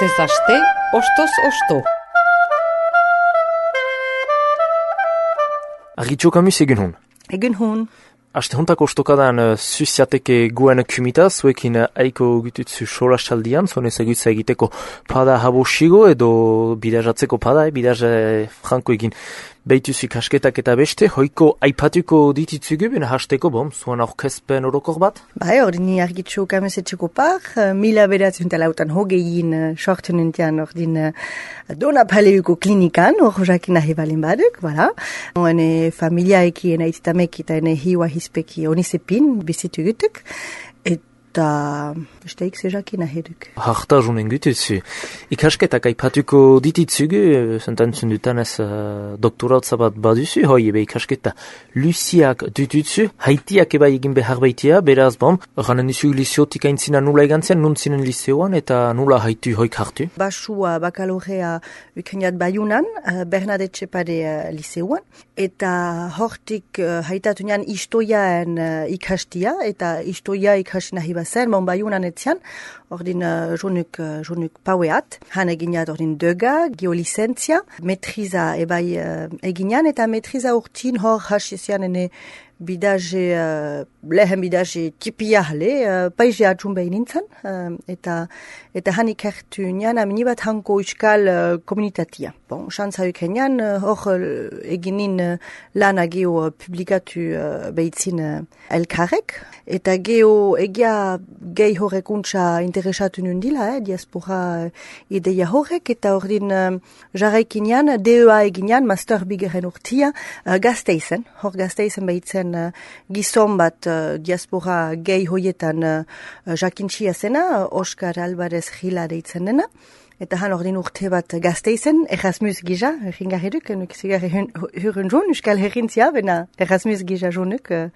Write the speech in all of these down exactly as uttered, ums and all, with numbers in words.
Astez aste, ostoz osto. Argitxo Kamus egun hon. Egun hon. Aste hontako ostokadan uh, zuziateke guen kumita, zuekin uh, aiko gututzu solastaldian, zuen ezagutza egiteko pada habosigo edo bidajatzeko pada, eh, bidaja franko egin behituzu kasketak eta beste, hoiko aipatuko dititzugu, bena hasteko, bom, zuen aurkezpen orokor bat? Bai, hori ni Argitxo Kamus etxeko par, uh, mila beratzen talautan hogein uh, sortzen entian hori din uh, dona paleuko klinikan, hori jakin nahi balin baduk, voilà. Hone familiaeki ena ititameki eta ene hiwa hispeki onisepin bizitu gutuk, eta besteik zejakin nahi duk. Harta junen gutuzu. Ikasketak aipatuko dititzugu, zentantzun dutanez uh, doktoratza bat baduzu, hoi ebe ikasketa luziak dututzu, haitiak eba egin behar baitia, beraz bom, ranen duzu liziotik aintzina nula egantzen, nuntzinen lizeoan eta nula haitu hoik hartu. Basua bakalorea ukeniat baiunan, uh, Bernadette Txepade uh, lizeoan, eta hortik uh, haitatu nian istoiaen uh, ikastia, eta istoia ikasi nahi bazen, mon baiunan etzian, ordin uh, jonuk, uh, jonuk paueat, han eginat ordin döga, geolicentzia, metriza ebai uh, eginan, eta metriza urtin hor hasizian ene bidaje, uh, lehen bidaje tipia hale, uh, paize atxun behin nintzen, uh, eta, eta han ikertu nian aminibat hanko euskal uh, komunitatia. Bon, xantza ukenian, uh, hor uh, eginin uh, lana geo uh, publikatu uh, behitzin uh, elkarrek, eta geo egia gehi horrekuntza interesatu nundila, eh, diaspora uh, ideia horrek, eta ordin uh, jarraikinean, D E A eginean, master bigeren urtia, uh, gazteizen, hor gazteizen behitzen Uh, gizon bat uh, diaspora gehi hoietan uh, jakintxia zena, uh, Oskar Alvarez Gila deitzen dena, eta han ordin urte bat gazteizen, Erasmus gisa, ringarriduk, nuk zigar hurun joan, euskal herrintzia, bena Erasmus gisa joanuk, uh,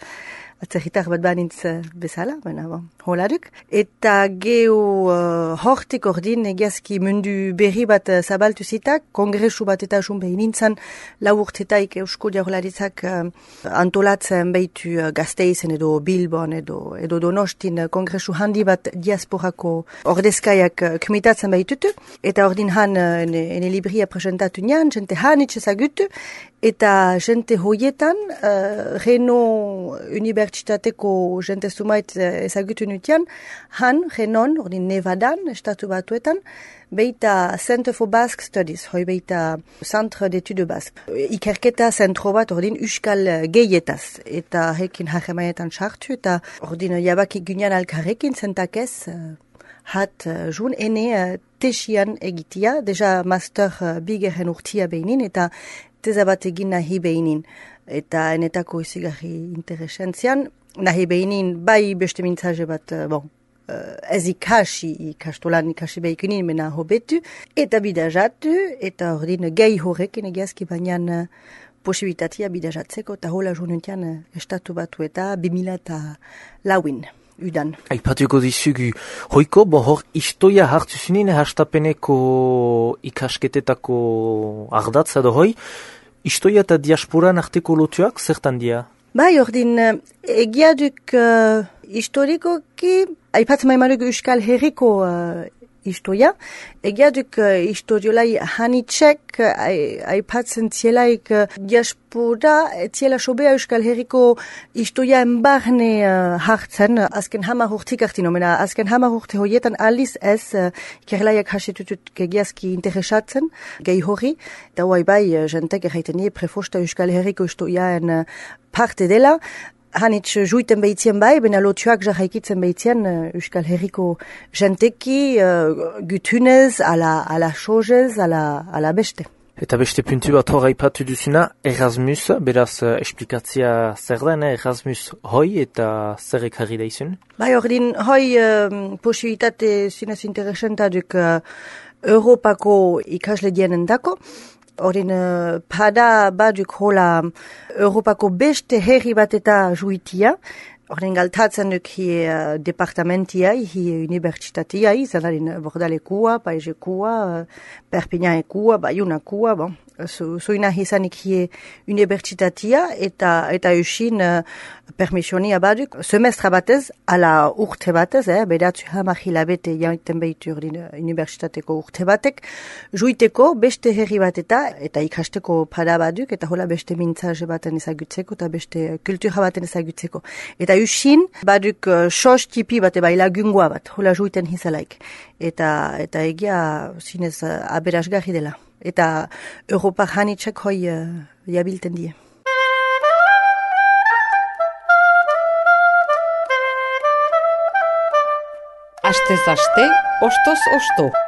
atzerritar bat banintz uh, bezala, bena bon, holaduk. Eta geo uh, hortik ordin egiazki mundu berri bat uh, zabaltu zitak, kongresu bat eta jun behin nintzen, lau urtetaik eusko diarolaritzak uh, antolatzen behitu uh, gazteizen edo Bilbon edo, edo Donostin uh, kongresu handi bat diasporako ordezkaiak uh, kumitatzen behitutu, eta ordin han uh, ene, ene libria presentatu nian, jente han itxezagutu, eta jente hoietan, uh, Reno Unibertsitateko jente sumait uh, ezagutu nutian, han, Renon, ordin Nevadan, estatu batuetan, beita Center for Basque Studies, hoi beita Centre d'Etude Basque. Ikerketa zentro bat ordin euskal gehietaz, eta hekin hajemaetan sartu, eta ordin jabaki gynean alkarrekin zentakez, uh, hat uh, jun ene uh, tesian egitia, deja master uh, bigeren urtia behinin, eta teza bat egin nahi behinin. Eta enetako izigarri interesentzian, nahi behinin bai beste mintzaje bat, uh, bon, uh, ez ikasi, ikastolan ikasi behikunin, mena hobetu, eta bidajatu, eta ordin gehi horrekin egiazki bainan uh, posibilitatea bidajatzeko, eta hola jonuntian uh, estatu batu eta bimila eta lauin. Udan. Aipatuko dizugu, hoiko, bo hor istoia hartu zunin, hastapeneko ikasketetako ardatza da hoi, istoia eta diasporan arteko lotuak, zertan dia? Bai, ordin, egia duk uh, historikoki, aipatzen maimaruk euskal herriko uh, istoia, egia duk uh, historiolai hanitxek, uh, aipatzen zielaik uh, diaspora, ziela sobea euskal herriko istoia enbarne uh, hartzen, azken hamar urtik artino, mena azken hamar urte hoietan aliz ez, uh, ikerlaiak hasetutut gegiazki interesatzen, gehi hori, eta huai bai, uh, jentek erraiten nie, prefosta euskal herriko istoiaen uh, parte dela, hanitz juiten behitzien bai, bena lotuak jarraikitzen behitzien uh, euskal herriko jenteki, uh, gutunez, ala, ala sozez, ala, ala beste. Eta beste puntu bat hor aipatu duzuna, Erasmus, beraz uh, esplikatzia zer den, Erasmus hoi eta zer ekarri da izun? Bai, ordin, hoi uh, posibilitate zinez interesantatuk uh, Europako ikasle dienen dako, Horin, uh, pada baduk hola Europako beste herri bat eta juitia, horin galtatzen duk hi uh, departamentiai, hi unibertsitatiai, zanarin Bordalekua, Paizekua, uh, Perpignanekua, Bayonakua, bon. Zoina izanik hie unibertsitatia eta eta usin uh, permisionia baduk semestra batez, ala urte batez, eh, beratzu hamar hilabete jaiten behitu urdin unibertsitateko urte batek, juiteko beste herri bat eta eta ikasteko pada baduk, eta hola beste mintzaje baten ezagutzeko, eta beste kultura baten ezagutzeko. Eta usin baduk uh, sos tipi bat eba ilagungoa bat, hola juiten hizalaik. Eta, eta egia zinez uh, aberasgarri dela. Eta Europa janitzak hoi uh, jabilten die. Astez aste, ostoz osto.